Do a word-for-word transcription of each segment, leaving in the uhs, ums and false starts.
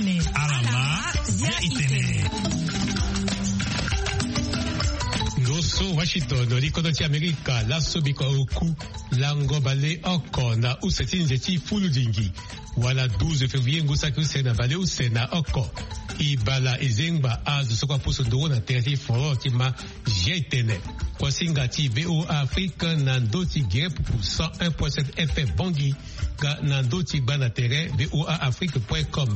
Alama ya itene. Ndo so Washington, likodo ti Amerika, laso biko oku lango baleoko na use ti nze ti fuludingi, wala douze février ngu saki use na baleuse na oko. E bala e zengba azo so kue apusu nduru na tere ti foro ti ma. Jetene. Kuasinga ti VOA Afrique na ndö ti gere pupu cent un point sept F M Bangui, nga na ndö ti gba na tere V O A Afrique point com.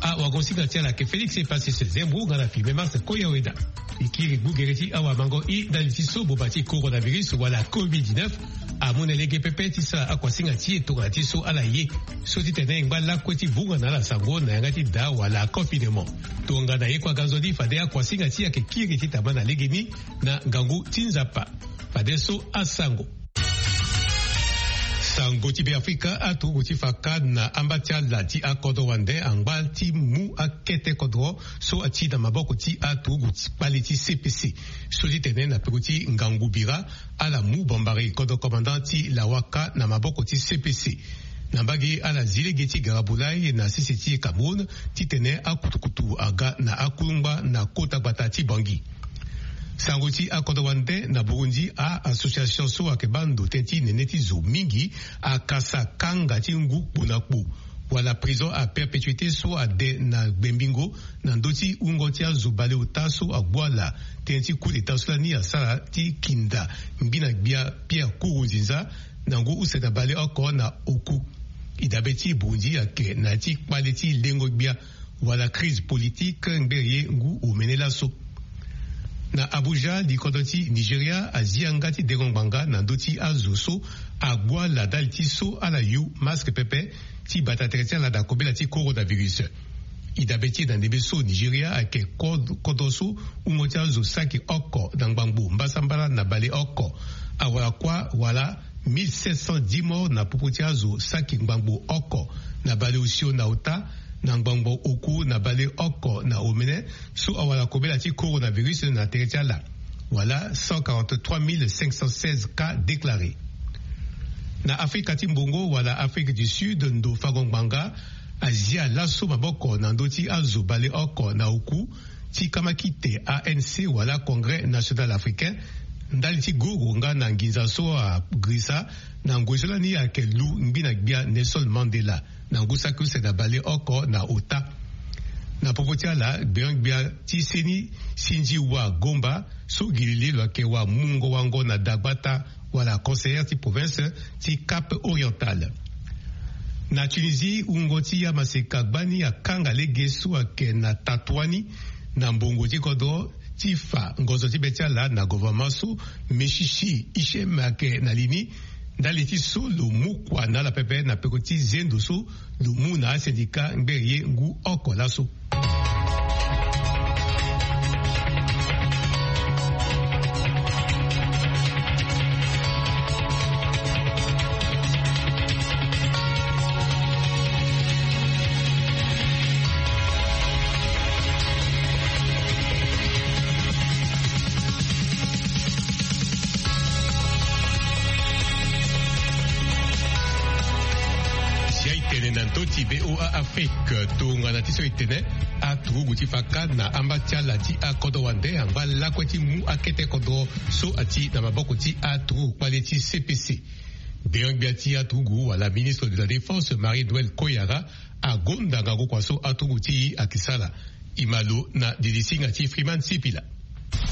Awagosinga ti ala ayeke Félix Epasis Zembro nga na filme Mars Koyaweda. E kiri gbu gere ti awamango i ndali ti so boba ti coronavirus wala covid dix-neuf amu na lege pepe ti sara akuasinga ti e tongana ti so ala ye. So ti tene e ngba lakue ti vunga na ala sango na yanga ti daa wala confinement. Tongana ye kue aga nzoni fade akuasinga ti e ayeke kiri ti tama na legeni na ngangu ti Nzapa. Fadeso asango. Sango ti Beafrika, aturugu ti faka na amba ti ala ti akodro wande angba ti mu akete kodro so ati na maboko ti aturugu ti kpale ti C P C. So ti tene na peko ti ngangu bira, ala mu bambari kodro commandant ti Lawaka na maboko ti C P C. Na mbage ala zi lege ti gara bulai na sese ti Cameroun, ti tene akutukutu aga na akulungba na kota gbata ti Bangui. Sango ti akodro wande na Burundi, a-association so ayeke baa ndo tënë ti nene ti zo mingi akasa kanga ti ngu kpo na kpo wala prison à perpétuité so ade na gbengbingo na ndö ti wungo ti azo baleota so agbu ala tënë ti coup d'état so lani asara ti kinda ngbi na gbia Pierre Nkurunziza na ngu use na baleoko na oku. E dabe ti Burundi ayeke na ya ti kpale ti lengo gbia wala crise politique ngbere ye ngu omene laso. Na Abuja, likodo ti Nigeria azi yanga ti dengo ngbanga na ndö ti azo so agbu ala ndali ti so ala yu masque pepe ti bata tere ti ala na kobela ti coronavirus. E dabe ti e na ndembe so Nigeria ayeke ko-, kodro so wungo ti azo saki oko na ngbangbo mbasambala na baleoko. Awara kuâ wala mille sept cent dix morts na popo ti azo saki ngbangbo oko na baleosio na ota, na ngbangbo oku na baleoko na omene so awara kobela ti coronavirus na tere ti ala, wala cent quarante-trois mille cinq cent seize cas déclarés. Na Afrika ti mbongo wala Afrique du Sud, ndo fango ngbanga azia laso maboko na ndö ti azo baleoko na oku ti kamakite A N C wala Congrès National Africain, ndali ti guru nga na nginza so agirisa na ngoi so lani ayeke lu ngbi na gbia Nelson Mandela na ngu saki use na baleoko na ota. Na popo ti ala, gbeon-gbia ti seni Sindiwa Gomba so gi lili lo yeke wa mungo wango na dagbata wala conseillère ti province ti Cap Oriental. Na Tunisie, wungo ti amaseka gbani akanga lege so ayeke na Tatouani na mbongo ti kodro ti fa ngonzo ti be ti ala na gouvernement so Meshishi Hichem ayeke na li ni, ndali ti so lo mu kua na ala pepe na peko ti zendo so lo mu na asyndicat ngbere ye ngu oko laso. Zia e tene na ndö ti VOA Afrique, tongana ti so e tene, aturugu ti faka na amba ti ala ti akodro wande angba lakue ti mu akete kodro so ati na maboko ti aturugu kpale ti C P C. Gbeon-gbia ti aturugu wala ministre de la Défense, Marie-Noëlle Koyara, agonda ngangu kua so aturugu ti e ayeke sara. E ma lo na dilisinga ti Freeman Sipila.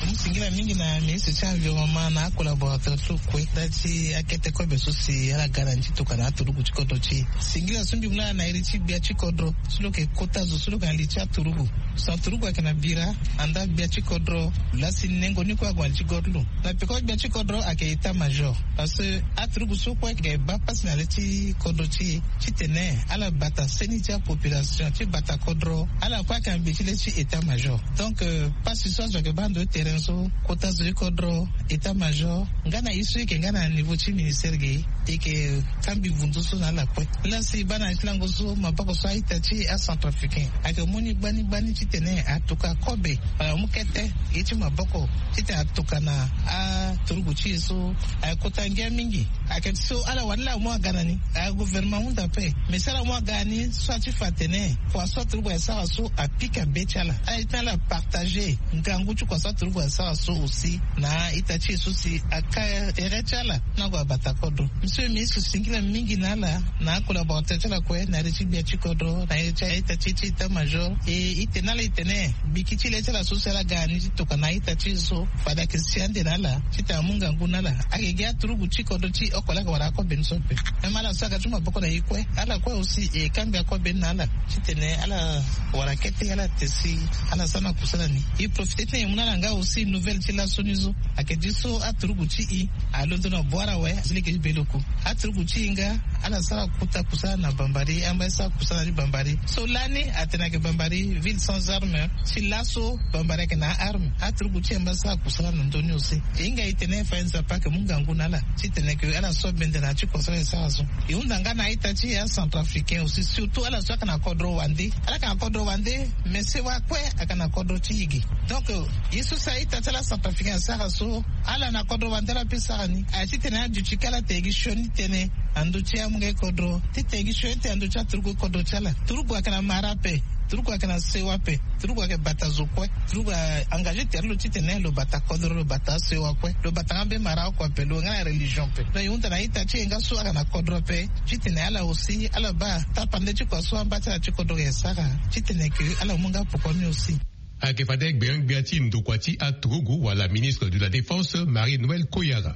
Mu singila mingi na ministre ti environnement na acollaborateur ti lo kue ndali ti akete kobe so si ala ga na ni ti tokua na aturugu ti kodro ti e. Singila so mbi mu laa na iri ti gbia ti kodro so lo yeke kota zo so lo yeke na li ti aturugu. So aturugu ayeke na bira, andaa gbia ti kodro, lo laa si nengo ni kue ague na li ti kodro. Na peko gbia ti kodro ayeke état major. Parce que aturugu so kue ayeke baa pasi na le ti kodro ti e titene ala bata seni ti apopulation, ti bata kodro, ala kue ayeke na gbe ti le ti état major. Donc, euh, pasi so azo ayeke baa ndo ti tere Tënë so kota zo ti kodro, état major nga na ye so e yeke nga na niveau ti ministère ge, e yeke kambi vundu so na ala kue. Laa si e baa na ya ti lango so maboko so a-ita ti acentrafricain ayeke mu ni gbani gbani titene atuka kobe wala amu kete ye ti maboko titene atuka na aturugu ti e so ayeke kota ngia mingi. Ayeke ti so ala wani laa amu aga na ni, agouvernement ahunda ape. Mais si ala mu aga ni so ati fa atene kua so aturugu ayeke sara so apika be ti ala, ala ye ti ala partager ngangu ti kua so aturugu ayeke sara so aussi na a-ita ti e so si aka tere ti ala na ague abata kodro. Monsieur le ministre, singila mingi na ala na acollaborateur ti ala kue na iri ti gbia ti kodro na iri ti a-ita ti e ti état major. E, e tene na ala e tene biki ti le ti ala so si ala ga ni ti tokua na a-ita ti e so fade ayeke si ande na ala titene amu ngangu na ala. Ayeke gi aturugu ti kodro ti oko laa ayeke wara akobe ni so ape. Même ala so aga ti maboko na e kue, ala kue aussi e kangbi akobe ni na ala titene ala wara kete ala te si ala sara na kusala ni. E profite titene e mu na ala nga aussi nouvelle ti laso ni so. Ayeke ti so aturugu ti e alondo na boire awe ti lege ti beloku. Aturugu ti e nga ala sara kota kusala na Bambari, amba e sara kusala ti Bambari. So lani atene ayeke Bambari ville sans armes. Si laso Bambari ayeke na arme, aturugu ti e amba sara kusala na ndö ni aussi. E hinga e tene fa e Nzapa ayeke mu ngangu na ala titene ke ala so bende na ya ti kua so ala yeke sara so. E hunda nga na a-ita ti e acentrafricain aussi, surtout ala so ayeke na kodro wande. Ala yeke na kodro wande, mais sewa kue ayeke na kodro ti e ge. Donc ye so si a-ita ti ala acentrafricain asara so, ala na kodro wande ala peut sara ni. Aye titene aduti kâ ala tene gi sioni tënë na ndö ti amungo kodro, titene gi sioni tënë na ndö ti aturugu kodro ti ala. Turugu ayeke na mara ape, turugu ayeke na sewa ape, turugu ayeke bata zo kue. Turugu a-engagé tere lo titene lo bata kodro, lo bata asewa kue, lo bata nga mbeni mara oko ape, lo nga na religion ape. Donc e hunda na a-ita ti e nga so ayeke na kodro ape titene ala aussi ala baa tapande ti kua so amba ti ala ti kodro ayeke sara titene ke ala mu nga poko ni aussi. Ayeke fade gbengbia ti ndokua ti aturugu wala ministre de la défense Marie Noël Koyara.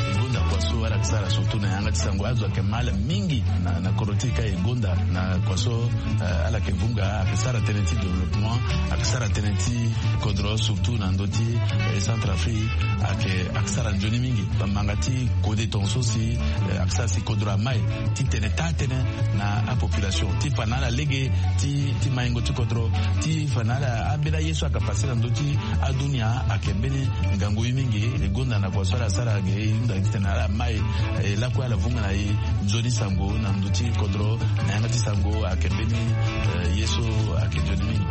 E gonda kua so ala yeke sara surtout na yanga ti sango, azo ayeke ma ala mingi na, na kodro ti e ka e gonda na kua so, eh, ala yeke vunga, ayeke sara tënë ti développement, ayeke sara tënë ti kodro surtout na ndö ti, eh, Centrafrique, ayeke, ayeke sara nzoni mingi. Bamanga ti kode tongaso si, eh, ayeke sara si kodro amai titene taa tënë na apopulation ti fa na ala lege ti, ti maingo ti kodro, ti fa na ala ambeni aye so ayeke pase na ndö ti adunia ayeke mbeni ngangu ye mingi. E gonda na kua so ala sara ge, e hunda titene ala mai, eh, lakue ala vunga na e nzoni sango na ndö ti kodro, na yanga ti sango ayeke mbeni, eh, ye so ayeke nzoni mingi.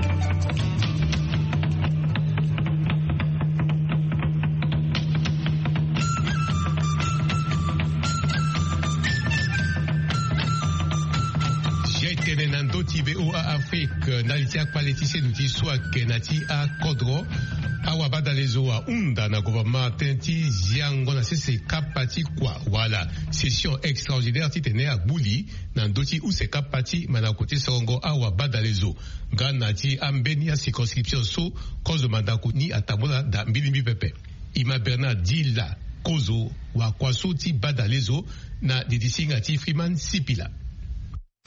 Zia e tene na ndö ti V O A Afrique, ndali ti akpale ti seno ti so ayeke na ti akodro. Awabadalezo ahunda na gouvernement tënë ti ziango na sese kapa ti kua wala session extraordinaire titene agbuli na ndö ti use kapa ti mandako ti sorongo awabadalezo nga na ti ambeni acirconscription so kozo mandako ni atambula daa mbilingbi pepe. Ima Bernard Dila, kozo wakua so ti badalezo, na didisinga ti Freeman Sipila.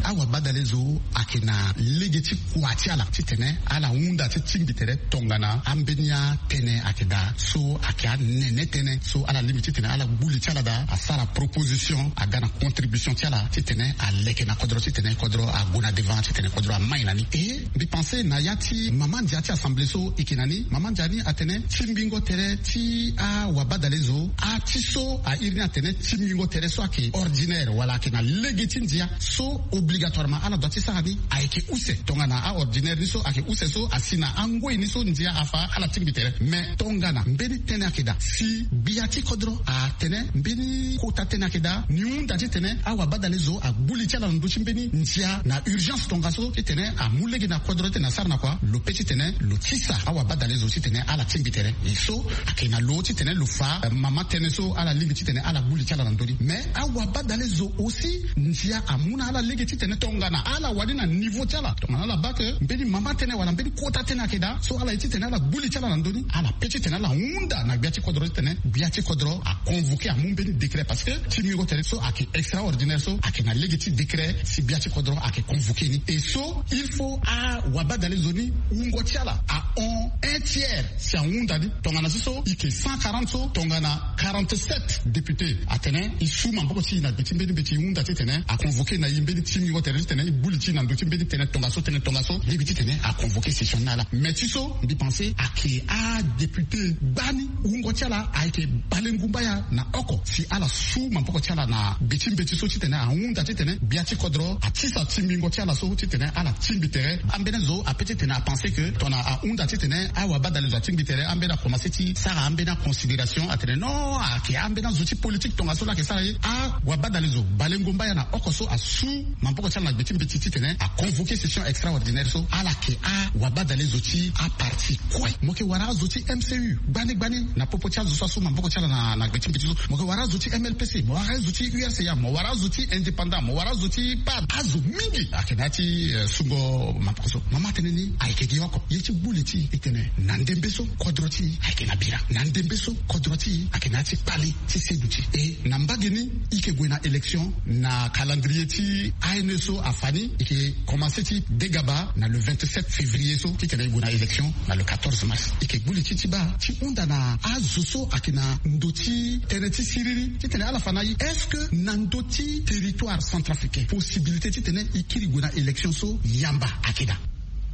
Awabadalezo ayeke na lege ti kua ti ala titene ala hunda ti tingbi tere tongana ambeni atënë ayeke daa so ayeke anene tënë so ala lingbi titene ala gbu li ti ala daa asara proposition aga na contribution ti ala titene aleke na kodro titene kodro ague na devant titene kodro amai na ni. E mbi pense na ya ti mama ndia ti assemblée so e yeke na ni, mama ndia ni atene tingbingo tere ti awabadalezo, ati so a iri ni atene tingbingo tere so ayeke ordinaire wala ayeke na lege ti ndia so obligatoirement ala dua ti sara ni ayeke use. Tongana aordinaire ni so ayeke use so asi na angoi ni so ndia afa ala tingbi tere. Mais tongana mbeni tënë ayeke daa si gbia ti kodro atene mbeni kota tënë ayeke daa, ni hunda titene awabadalezo agbu li ti ala na ndö ti mbeni ndia na urgence tongaso titene amu lege na kodro titene asara na kua, lo pe titene lo tisa awabadalezo titene ala tingbi tere. E so ayeke na lo titene lo fa, eh, mama tënë so ala lingbi titene ala gbu li ti ala na ndö ni. Mais awabadalezo aussi ndia amu na ala lege titene tongana ala wani na niveau ti ala, tongana ala baa ke mbeni mama tënë wala mbeni kota tënë ayeke daa so ala ye titene ala gbu li ti ala na ndö ni, ala pe titene ala hunda na gbia ti kodro titene gbia ti kodro aconvoqué amu mbeni décret, parce que tingbingo tere so ayeke extraordinaire so ayeke na lege ti décret si gbia ti kodro ayeke convoqué ni. E so il faut awabadalezo ni wungo ti ala ahon un tiers si ahunda ni. Tongana so so e yeke cent quarante so, tongana quarante-sept député atene e su maboko ti e na gbe ti mbeni mbeti e hunda titene aconvoqué na e mbeni tingbingo Ngo tene ti tene e gbu li ti na ndo ti mbeni tene tongaso tene tongaso lege ti tene a convoquer session ni ala. Mais ti so mbi pense ayeke adéputé gbani wungo ti ala ayeke balengumba ya na oko si ala su maboko ti ala na gbe ti mbeti so ti tene ahunda ti tene gbia ti kodro atisa tingbingo ti ala so ti tene ala tingbi tere. Ambeni azo ape ti tene apense ke tongana ahunda ti tene awabadale zo atingbi tere ambeni akomanse ti sara ambeni aconsidération atene non ayeke ambeni azo ti politique tongaso laa ayeke sara ye. Awabadale zo balengumba ya na oko so asu maboko ti ala na gbe ti mbeti ti tene aconvoquer session extraordinaire so ala yeke awabadale zo ti aparti kue. Mo yeke wara azo ti M C U gbani gbani na popo ti azo so asu maboko ti ala na na gbe ti mbeti so. Mo yeke wara azo ti M L P C, mo wara azo ti U R C A, mo wara azo ti indépendant, mo wara azo ti pad. Azo mingi ayeke na ya ti eh, sungo maboko so. Mama atene ni ayeke gi oko ye ti gbu li ti e tene na ndembe so kodro ti e ayeke na bira, na ndembe so kodro ti e ayeke na ya ti kpale ti seduti. E na mbage ni e yeke gue na élection na calendrier ti A N E so afa ni e yeke komanse ti degaba na le vingt-sept février so ti tene e gue na élection na le quatorze mars. E yeke gbu li ti ti baa ti hunda na azo so ayeke na ndo ti tene ti siriri ti tene ala fa na e est-ce que na ndo ti territoire centrafricain possibilité ti tene e kiri gue na élection so yamba ayeke daa?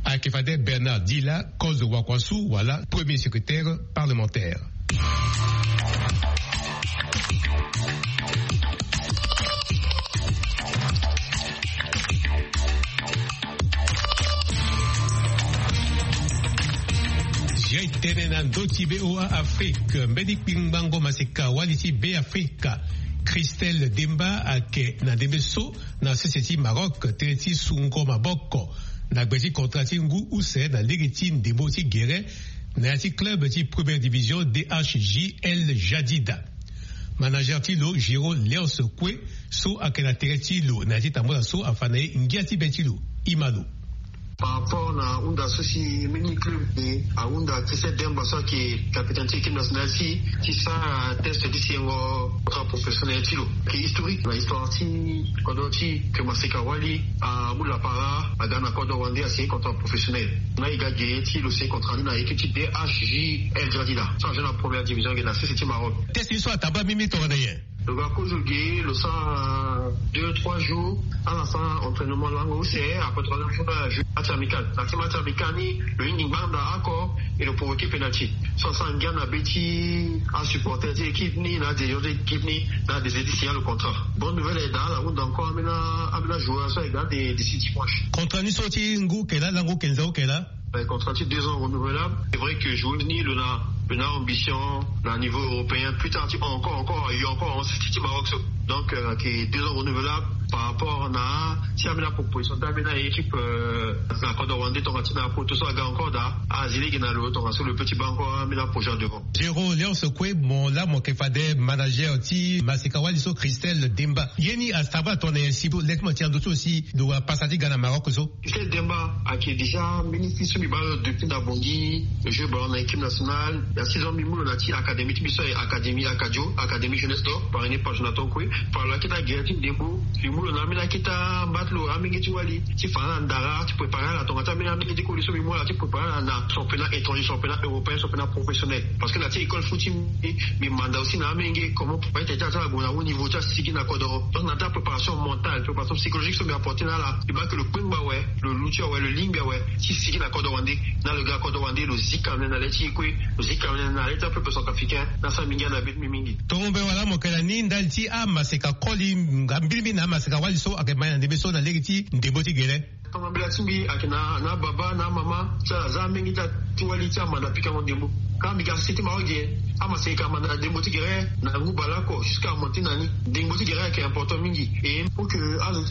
Ayeke fade Bernard Dila, kozo wakua su wala premier secrétaire parlementaire. Zia e tene na ndö ti V O A Afrique, mbeni kpingbango maseka wali ti Be Afrika, Christelle Demba, ayeke na ndembe so na sese ti Maroc tënë ti sungo maboko na gbe ti contrat ti ngu use na lege ti ndembo ti gere na ya ti club ti première division D H J L Jadida. Manager ti lo Géraud Léonce Koué so ayeke na tere ti lo na ya ti tambula so afa na e ngia ti be ti lo. Ima lo. Par rapport na hunda so si mbeni club de ahunda Christelle Demba so ayeke capitaine ti équipe nationale ti ti sara test ti sengo contrat professionnel ti lo. Ayeke historique na histoire ti kodro ti ke maseka wali amu lapara aga na kodro wande asigner contrat professionnel. Na e ga ge ti lo signer contrat ni na équipe ti D H J L Jadida so ajoue na première division ge na sese ti Maroc. Test ni so atambula mingi tongana nyen? Lo ga kozo ge lo sara deux trois jours ala sara entraînement lango use. Après trois jours na jeu match amical na ti match amical ni lo hingi ngbanda oko e lo provoquer penalty. So asara ngia na be ti asupporter ti équipe ni na adirigeant ti équipe ni na adécider ti signer lo contrat. Bonne nouvelle aye daa ala hunda encore ambeni ambeni ajoueur so aye daa de d'ici dimanche. Contrat ni so ti ngu eke laa lango eke nza eke laa? Contrat ti deux ans renouvelable. C'est vrai que joueuse ni lo na lo na ambition na niveau européen plus tard ti encore encore ayo encore en sisi ti Maroc so. Donc euh, ayeke deux ans renouvelable par rapport na ti ambeni aproposition ti ambeni aéquipe euh, na kodro wande tonga ti na apoto so aga encore daa azi lege na lo tonga so lo peut ti baa encore ambeni aprojet devant. Géraud Léonce Koué, mo laa mo yeke fade manager ti maseka wali so Christelle Demba. Ye ni atambula tongana nyen si lege ti mo ti na ndö ti lo si lo wara pasa ti ga na Maroc so? Christelle Demba ayeke déjà mbeni fils so mbi baa lo depuis na Bangui, lo joue ballon na équipe nationale. Il y a six ans mbi mu lo na ti académie ti mbi so aye académie Akajo, académie jeunesse d'or, parrainé par Jonathan Koué. Par lo akita gere ti ndembo, mbi mu lo na ambeni akita mba ti lo amenge ti wali ti fa na ala ndara ti préparer ala tonga ti ambeni amenge ti koli so mbi mu ala ti préparer ala na championnat étranger, championnat européen, championnat professionnel. Parce que na ti école foot ti mbi mbi manda aussi na amenge comment préparer tene ti ala ti ala gue na haut niveau ti asigi na kodoro. Donc na ti apréparation mentale, préparation psychologique so mbi apporter na ala, mbi baa ke lo kpengba awe, lo luti awe, lo lingbi awe ti sigi na kodoro wande. Na lo ga na kodoro wande lo zi kamene na le ti e kue, lo zi kamene na le ti apeuple centrafricain. Na asara mbi ngia na be ti mbi mingi. Tongo mbe wala mo yeke na ni ndali ti amaseka koli nga mbirimbiri na amaseka wali so ayeke ma ye na ndembe so na lege ti ndembo ti gere. Tongana mbela ti mbi ayeke na na ababa na amama ti ala za amenge ti ala ti wali ti amanda pikango ndembo. Ka mbi ga sese ti Maroc ge amaseka amanda na ndembo ti gere na ngu baleoko jusqu'à amonti na ni. Ndembo ti gere ayeke important mingi. Et pour que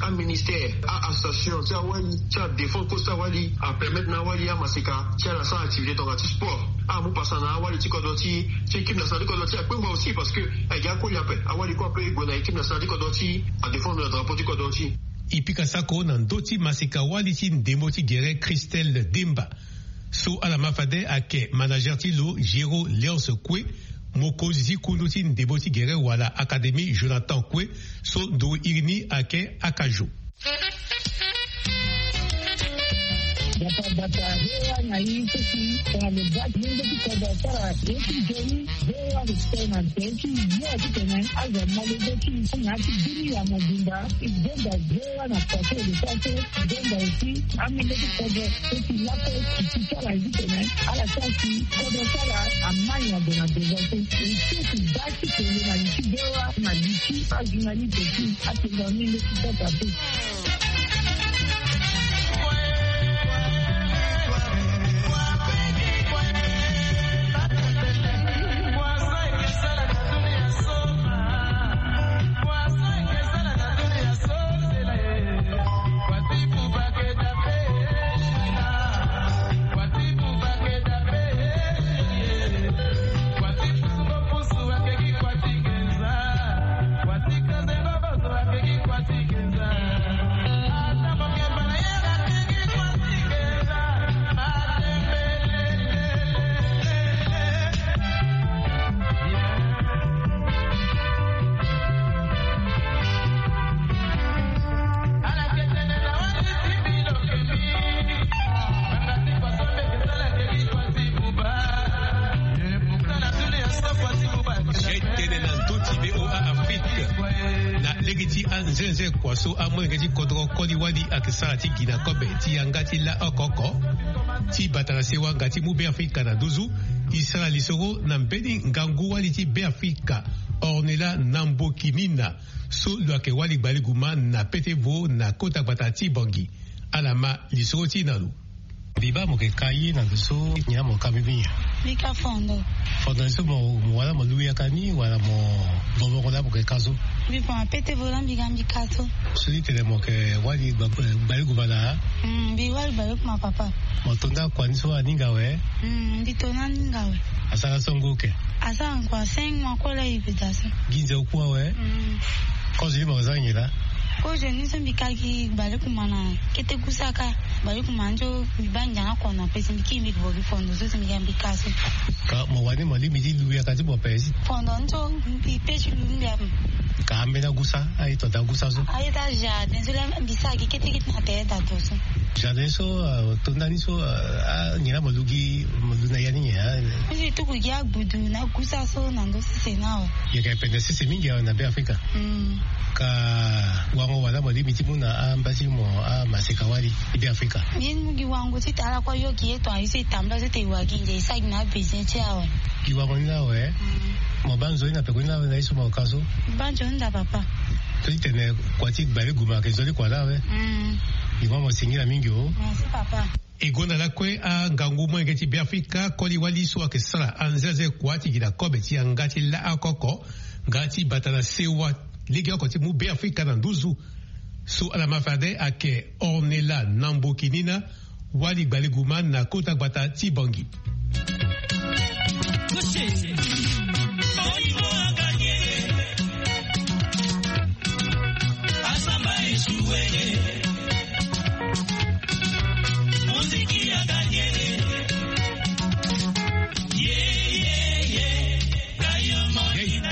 aministère, a-association ti awali ti adéfendre cause ti awali apermettre na awali amaseka ti ala asara activité tongana ti sport. Amu pasa na awali ti kodro ti ti équipe nationale ti kodro ti akpengba aussi parce que ayeke akoli ape. Awali kue ape e gue na équipe nationale ti kodro ti adéfendre drapeau ti kodro ti. E pika sako na ndö ti maseka wali ti ndembo ti gere Christelle Demba. So ala ma fade ayeke manager ti lo Géraud Léonce Koué, mokonzi ti kundu ti ndembo ti gere wala académie Jonathan Koué, so ndo iri ni ayeke Akajo. Bata bata, ve wa na i so si tongana lo baa ti lenge ti kodro asara ye ti nzoni. Ve wa lo tene na nzoni ti ye ti tene azo amolenge ti na ya ti bini ya mobimba. I zonza ve wa na kua so lo sara so. I zonza aussi amolenge ti kodro so si laso i ti sara ye ti tene ala sara si kodro sara amani ado na devant so. I so si baa ti tene na li ti ve wa na li ti ajournaliste ti atene na menge ti kota so. Tene na ndö ti V O A Afrique. Na lege ti anzenze kua so amolenge ti kodro koli wali ayeke sara ti gi na kobe ti yanga ti laoko oko ti bata na sewa nga ti mu Beafrika na nduzu. E sara lisoro na mbeni ngangu wali ti Beafrika, Ornella Nambokinina, so lo yeke wali gbaleguma na pete vo na kota gbata ti Bangui. Ala ma lisoro ti e na lo. Mbi baa mo yeke ka ye na ndo so nyen na mo ka mbi nyen? Mbi ka fondo. Fondo ni so mo wala mo lu yaka ni wala mo vovoko laa mo yeke ka so? Mbi fa na pete vo laa mbi ga mbi ka so. So ti tene mo yeke wali gba- gbaleguma na? Mm, mbi wali gbaleguma papa. Mo to nda kua ni so aninga awe? Mm, mbi to na aninga awe. Asara so ngu oke? Asara nkua cinq mois kue laa e beda so. Gi nze oku awe? Mm. Kozo ni mo yeke zia nyen laa? Kozo ni so mbi ka gi gbaleguma na kete gusa ka. Gbaleguma ni so mbi baa ngia na kono ape si mbi kiri mbi yeke vo gi fondo so si mbi ga mbi ka so. Ka mo wani mo lingbi ti lu yaka ti mo ape si? Fondo ni so mbi pe ti lu ni mbi ape. Ka ambeni agusa aye to daa gusa so? Aye daa jardin so laa mbi sara gi kete kete na tere daa to so. Jardin so to ndani so anyen laa mo lu gi mo lu na ya ni nyen? Mbi si tuku gi agbudu na gusa so na ndö sese ni awe. Yeke pende sese mingi awe na Beafrika. Mm. Ka wango wala mo lingbi ti mu na amba ti mo amaseka wali ti Beafrika? Mbi ye ni mu gi wango ti tara kue ayo gi ye tongana ye so e tambula so ete e wa gi nze e sara gi na abesoin ti e awe. Gi wango ni laa awe. Mm. Mo baa nzoni na peko ni laa awe na ye so mo ka so? Mbi baa nzoni daa papa. So ti tene kua ti gbaleguma ayeke nzoni kua laa awe. Mm. Gi wango mo singila mingi o. Merci papa. E gonda lakue angangu molenge ti Beafrika koli wali so ayeke sara anzenze kua ti gi na kobe ti yanga ti laoko oko nga ti bata na sewa legeoko ti mu Beafrika na nduzu. So ala ma fade ayeke Ornella Nambokinina, wali gbaleguma na kota gbata ti Bangui.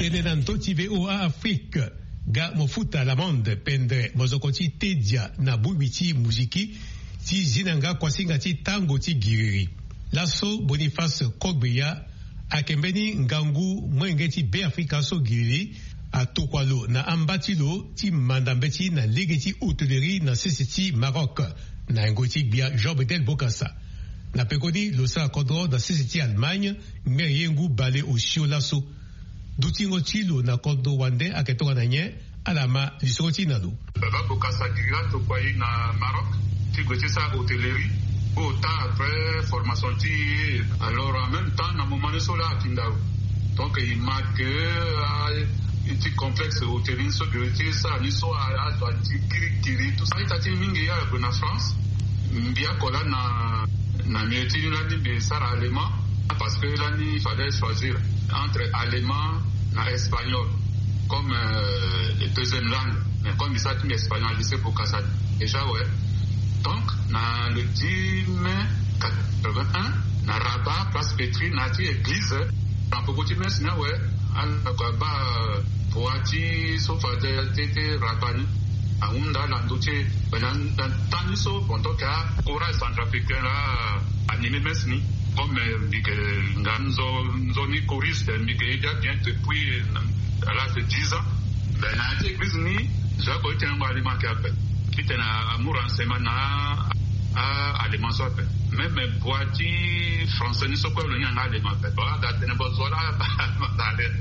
Tene na ndö ti V O A Afrique, ga mo futa lamande pendre mozoko ti tedia na bongbi ti muziki ti zi na nga kuasinga ti tango ti giriri. Laso Boniface Kogbeya ayeke mbeni ngangu molenge ti Beafrika so giriri atokua lo na amba ti lo ti manda mbeti na lege ti hôtellerie na sese ti Maroc, na yengo ti gbia Jean Bedel Bokassa. Na pekoni lo sara kodro na sese ti Allemagne, ngbe ye ngu bale osio laso. Dutingo ti lo na kodro wande ayeke tongana nyen? Ala ma lisoro ti e na lo. Baba Bokassa giriri atokua e na Maroc ti gue ti sara hôtellerie. Au temps après formation ti e, alors en même temps na moment ni so laa akinda lo. Donc e ma ke a ti complexe hôtellerie ni so giriri ti sara ni so azo ati kirikiri tout ça. A-ita ti mingi ala gue na France. Mbi oko laa na na milieu ti ni lani mbi sara allemand, parce que lani il fallait choisir entre allemand na espagnol comme euh, deuxième langue. Mais comme mbi sara ti mbi espagnol à lycée Bokassa déjà, ouais. Donc na le dix mai quatre-vingt-un, na Rabat, place Petry, na ya ti église, na peko ti messe ni awe. Ala kua baa, euh, poi ti so fade ti Rabat ni. Ahunda na ndö ti e. Mais na temps ni so pendant que acourage centrafricain la anime messe ni, comme mbi yeke nga nzoni choriste, mbi yeke ye dia bien depuis à l'âge de dix ans. Mais na ya ti église ni, zo ako ti tene ngo allemand ke ape, ti tene amu renseignement na allemand so ape. Même boi ti français ni so kue lo ni anga allemand ape. Bon, aga tene bo zo la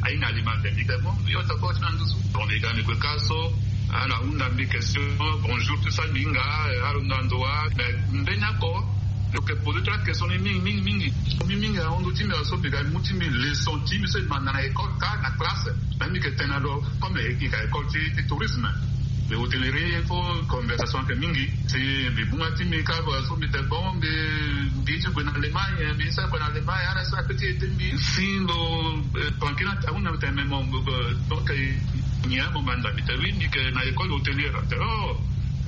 ahinga allemand ape. Mbi yeke bon, mbi yo toko ti na nduzu. Bon, mbi ga mbi gue ka so, ala hunda mbi question, bonjour tout ça, mbi hinga, ala hunda ndo wa. Mais mbeni oko lo yeke poser trois questions ni mingi mingi mingi. Mingi mingi ahon ndo ti mbi, so mbi ga mu ti mbi leçon ti mbi so mbi manda na école ka na classe. Mais mbi yeke tene na lo comme e yeke école ti tourisme, mbi hôtellerie, il faut conversation ayeke mingi. Si mbi bunga ti mbi ka, so mbi tene bon, mbi mbi ye ti gue na Allemagne, mbi ye ti gue na Allemagne, ala so ape ti ete mbi si lo tranquille. Ahunda mbi tene mais mo donc nyen mo manda? Mbi tene oui, mbi yeke na école hôtelière. Atene oh,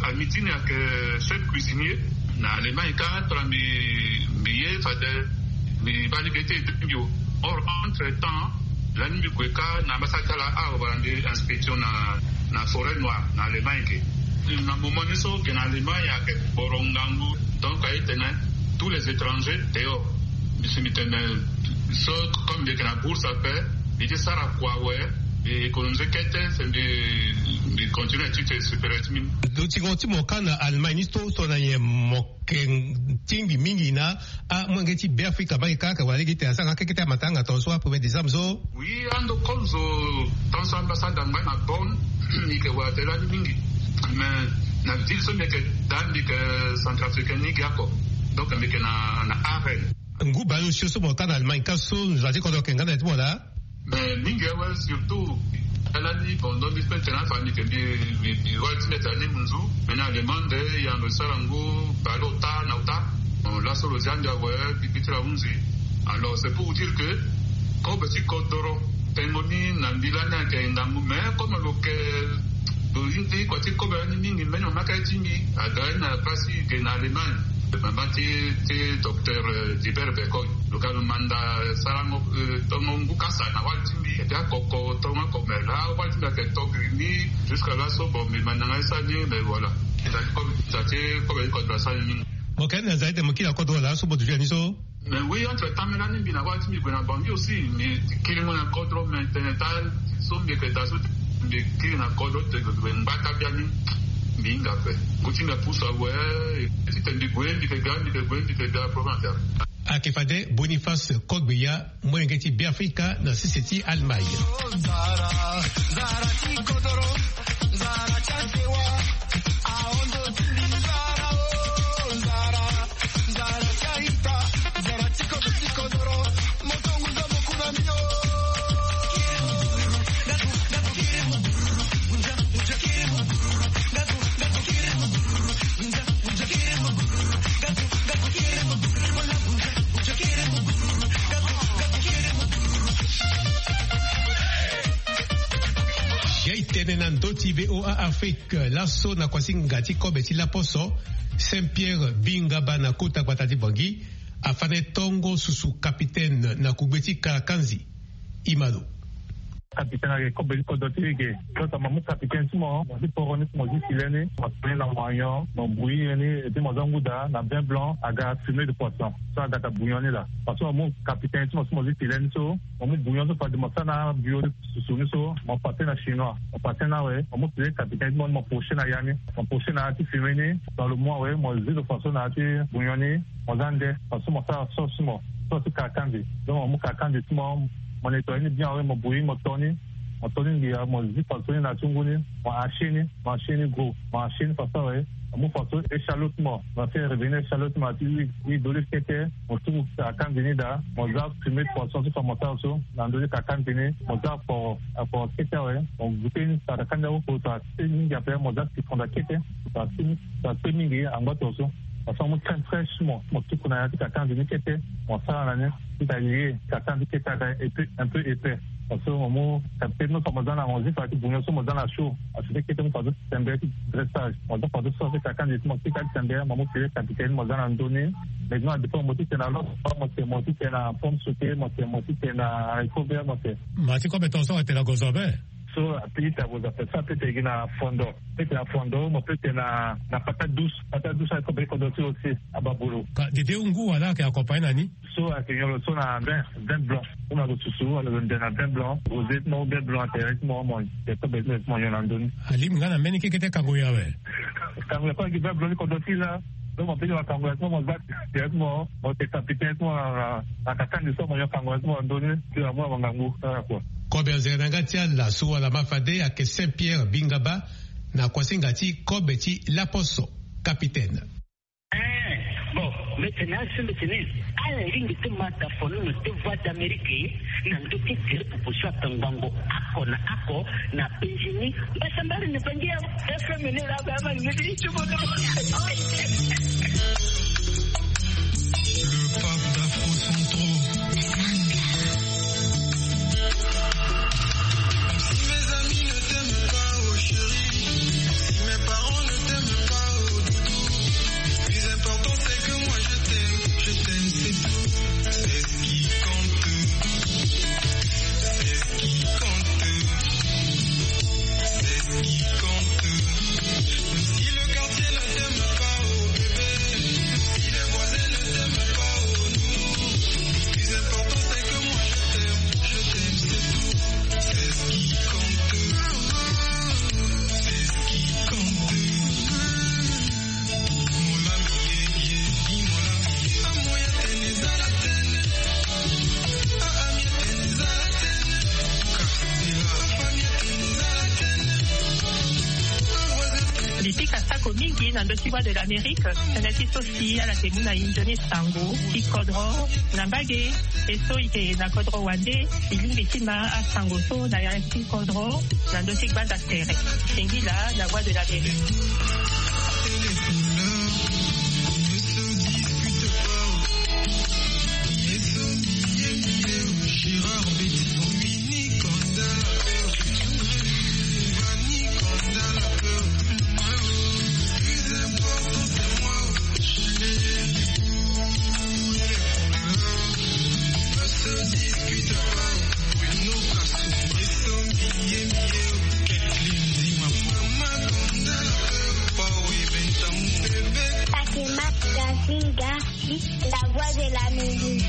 ami ti ni ayeke chef cuisinier na Allemagne ka, tongana mbi mbi ye fade mbi baa lege ti ete mbi o. Or entre temps lani mbi gue ka na ambassadeur ti ala, ah, wala mbi inspection na na forêt noire na Allemagne ke. Na moment ni so ge na Allemagne ayeke boro ngangu. Donc aye tene tous les étrangers dehors. Mbi si mbi tene so comme mbi yeke na bourse ape, mbi ti sara kua awe, mbi économiser kete, se mbi mbi continue étude supérieure ti mbi. Lo tingo ti mo ka na Allemagne ni so, so na nyen mo yeke tingbi mingi na amolenge ti Beafrika baa e ka, ka wala lege ti tene asara nga kekete amatanga tongaso a premier décembre so? Oui, ando comme zo tongaso ambassade angba na Bonn, mbi yeke wara tene lani mingi. Mais na ville so mbi yeke daa, mbi yeke centrafricain ni ge oko. Donc mbi yeke na na Aachen. Ngu baleosio so mo ka na Allemagne ka so, nzoni ti kodro ayeke nga na ya ti mo laa? Mais mingi awe, surtout ala ni bon, donc mbi peut tene afa mbi yeke mbi mbi wali ti mbi tene ni munzu. Mais na Allemagne nde e yando e sara ngu baleota na ota. Bon, laso lo zia mbi awe, mbi bi ti lo ahunzi. Alors c'est pour vous dire que kobe ti kodoro tengo ni na mbi lani ayeke ngangu, mais comme lo yeke lo hindi kua ti kobe lani mingi, mbeni mama ka ye ti mbi aga ye na place ge na Allemagne. Mama ti ti docteur Dibert Bekoy, lo ga lo manda sarango tongo ngu kasa na wali ti mbi. Eke akoko tongo ako, mais laa wali ti mbi ayeke to gri ni. Jusqu'à laso bon, mbi manda nga ye sara ni, mais voilà. Nza ti kobe, nza ti kobe ti kodro asara ni mingi. Mo yeke na nza ti tene mo kiri na kodro laa so mo duti ya ni so? Mais oui, entre temps mbeni lani mbi na wali ti mbi gue na Bangui aussi, mbi kiringo na kodro, mais tene ta so mbi yeke daa so mbi kiri na kodro ti gue ngba taa biani. Mbi hinga ape. Ngu ti mbi apusu awe. Ti tene mbi gue mbi yeke ga, mbi yeke gue mbi yeke ga, problème ake ape. Ayeke fade Boniface Kogbeya, molenge ti Beafrika na sese ti Allemagne. Gai tene na ndö ti V O A Afrique. Laso na kuasinga ti kobe ti laposo, Saint Pierre Bingaba na kota gbata ti Bangui afande tongo susu capitaine na kugbe ti Kalakanzi. Ima lo. Capitaine ayeke kobe ti kodro ti e ge. Lo tongana mo mu capitaine ti mo, mo zi poro ni, mo zi filet ni, mo tene na moignon, mo bouillir ni, et puis mo za ngu daa na vin blanc, aga fumée de poisson. So aga daa bouillon ni laa. Parce que mo mu capitaine ti mo so mo zi filet ni so, mo mu bouillon so fade mo sara na bio ti susu ni so, mo pase na chinois, mo pase na awe, mo mu filet capitaine ti mo ni, mo poche na ya ni, mo poche na ya ti fumée ni. Dans le mois awe, mo zi lo façon na ya ti bouillon ni, mo za nde, façon mo sara sauce ti mo, sauce ti Kalakanzi. Donc mo mu Kalakanzi ti mo, mo nettoyer ni bien awe, mo bouillir, mo to ni, mo to ni ngia, mo zi façon ni na ya ti ngu ni, mo hacher ni, mo hacher ni gros, mo hacher ni façon awe, mo mu façon échalote ti mo, mo fait revenir échalote ti mo na ya ti huile, huile d'olive kete, mo tuku Kalakanzi ni daa, mo za fumée de poisson so fa mo sara so na ndö ti Kalakanzi ni, mo za akporo, akporo kete awe, mo goûter ni, Kalakanzi awe, mo tara te mingi ape, mo za citron daa kete, mo tara te, tara te mingi angba tongaso. Parce que mo mu crème fraîche ti mo, mo tuku na ya ti Kalakanzi ni kete, mo sara na ni, ti ta lier Kalakanzi kete aga un peu, un peu épais. Parce que mo mu capitaine ti mo fa mo za na, mo zi fa ti bouillon so mo za na chaud. Parce que kete mo fa so ti sembe ti dressage. Mo za fa so sauce ti Kalakanzi ti mo kete ti sembe, mo mu filet capitaine mo za na ndö ni. Maintenant dépend mo ti tene na lo, mo tene, mo ti tene na pomme sautée, mo tene, mo ti tene na haricot vert, mo tene. Ma ti kobe tongaso atene na gozo abe. So apita boza pe so apita egi na fondo, pete na fondo mo pete na na pata douce, pata douce akobe kodro ti aussi. Ababulu ka dede ngu wala ake accompagné na ni. So ake nyolo so na vin vin blanc. Kuma ko susu wala ko nde na vin blanc rosé mo vin blanc ate mo mo te kobe mo nyo na ndoni. Alimi nga na mbeni kekete kango ya we. Kango ya kwa ki vin blanc ni kodro ti la. Donc mo peki makango ya ti mo mo zat directement mo te kapite ti mo na na na kaka ni so mo nyo kango ya ti mo na ndoni. Ti na mo na mangangu kaka kua. Kobe anzere na nga ti ala so wala ma fade ake Saint Pierre Bingaba na kuasinga ti kobe ti laposo. Capitaine. Eh, bon, mbeti na asu mbeti ni. Ala lingbi ti ma tafono na te Voix d'Amérique na ndö ti tere proposition atango bango ako na ako na penzi ni. Mbasa mbari ni bangi ya F M ni la ba ma ni ti bodo. Le pape d'Afro Centro. Si mes amis ne t'aiment pas, oh chérie, si mes parents ne t'aiment pas, oh doudou, le plus important c'est que moi je t'aime, je t'aime, c'est tout. C'est ce qui compte. C'est ce qui compte. C'est ce qui compte. Même si le quartier ne t'aime pas, oh bébé, même si les voisins ne t'aiment pas, oh nounou, le plus important c'est que moi je t'aime, je t'aime, c'est tout. C'est ce qui compte. C'est ce qui compte. Lipika sako mingi na ndö ti Voix de l'Amérique, tënë ti so si ala yeke mu na e nzoni sango ti kodro na mbage. E so e yeke na kodro wande, e lingbi ti ma asango so na ya ti kodro na ndö ti gbanda tere. Singila na Voix de l'Amérique. Fatima Gazinga, la voix de la musique.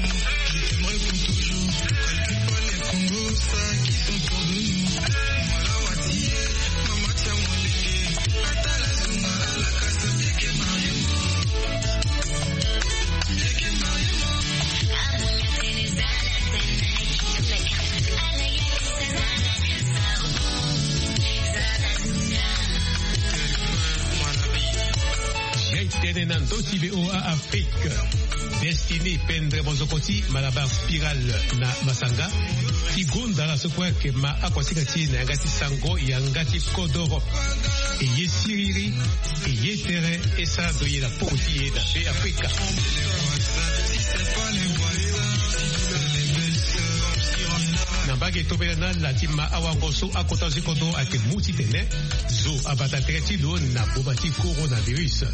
Jai tene na ndö ti V O A Afrique. Destiné pendre mozoko ti Malabar Spiral na Masanga ti gonda ala so kue ayeke ma akuasinga ti e na yanga ti sango yanga ti kodoro. E ye siriri, e ye tere, e sara ndo ye na poko ti e na Be Afrika. Na mbage tobela na ala ti ma awango so akota zo ti kodro ayeke mu titene zo abata tere ti lo na boma ti coronavirus.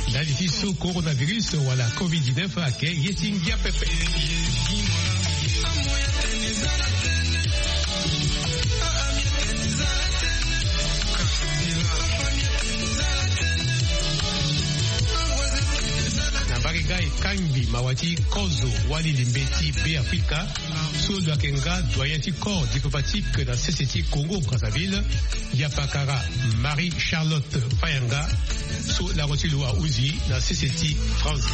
Ndali ti so coronavirus wala covid dix-neuf ayeke ye ti ngia pepe. Na mbage nga e kangbi mawa ti kozo wali limbe ti Be Afrika so lo yeke nga doyen ti corps diplomatique na sese ti Congo Brazzaville, yapakara Marie Charlotte Fayanga, so lango ti lo ahunzi na sese ti France.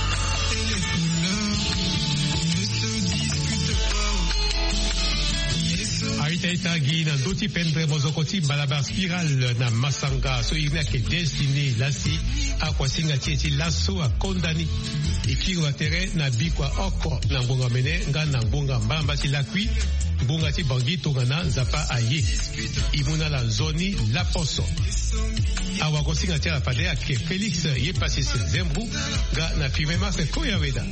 A-ita-ita gi na ndö ti pendre mozoko ti Malabar Spiral na Masanga so iri ni ayeke Destiné Lasi, akuasinga ti e ti laso akonda ni. E kiri wa tere na bikua oko na ngbonga mene nga na ngbonga mbamba ti lakui, ngbonga ti Bangui tongana Nzapa aye. E mu na ala nzoni laposo. Awagosinga ti ala fade ayeke Félix Yepasis Zembou nga na Firmin Marc Koyaweda.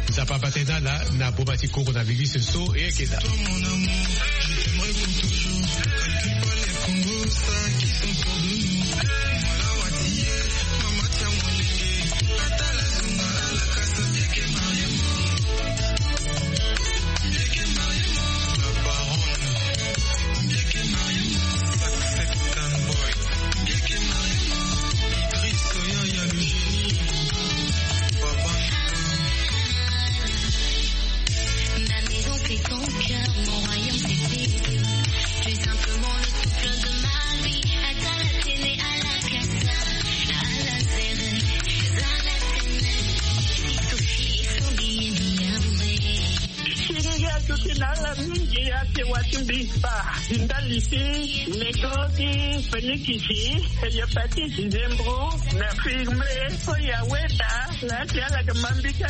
Nzapa abate na ala na boma ti coronavirus so e yeke daa. Tuki na ala mingi ake watumbi ba. Ndali si, meko ki, penikisi, hepatite, zembro, na firme, oyo aweta, na ake ala ke mambika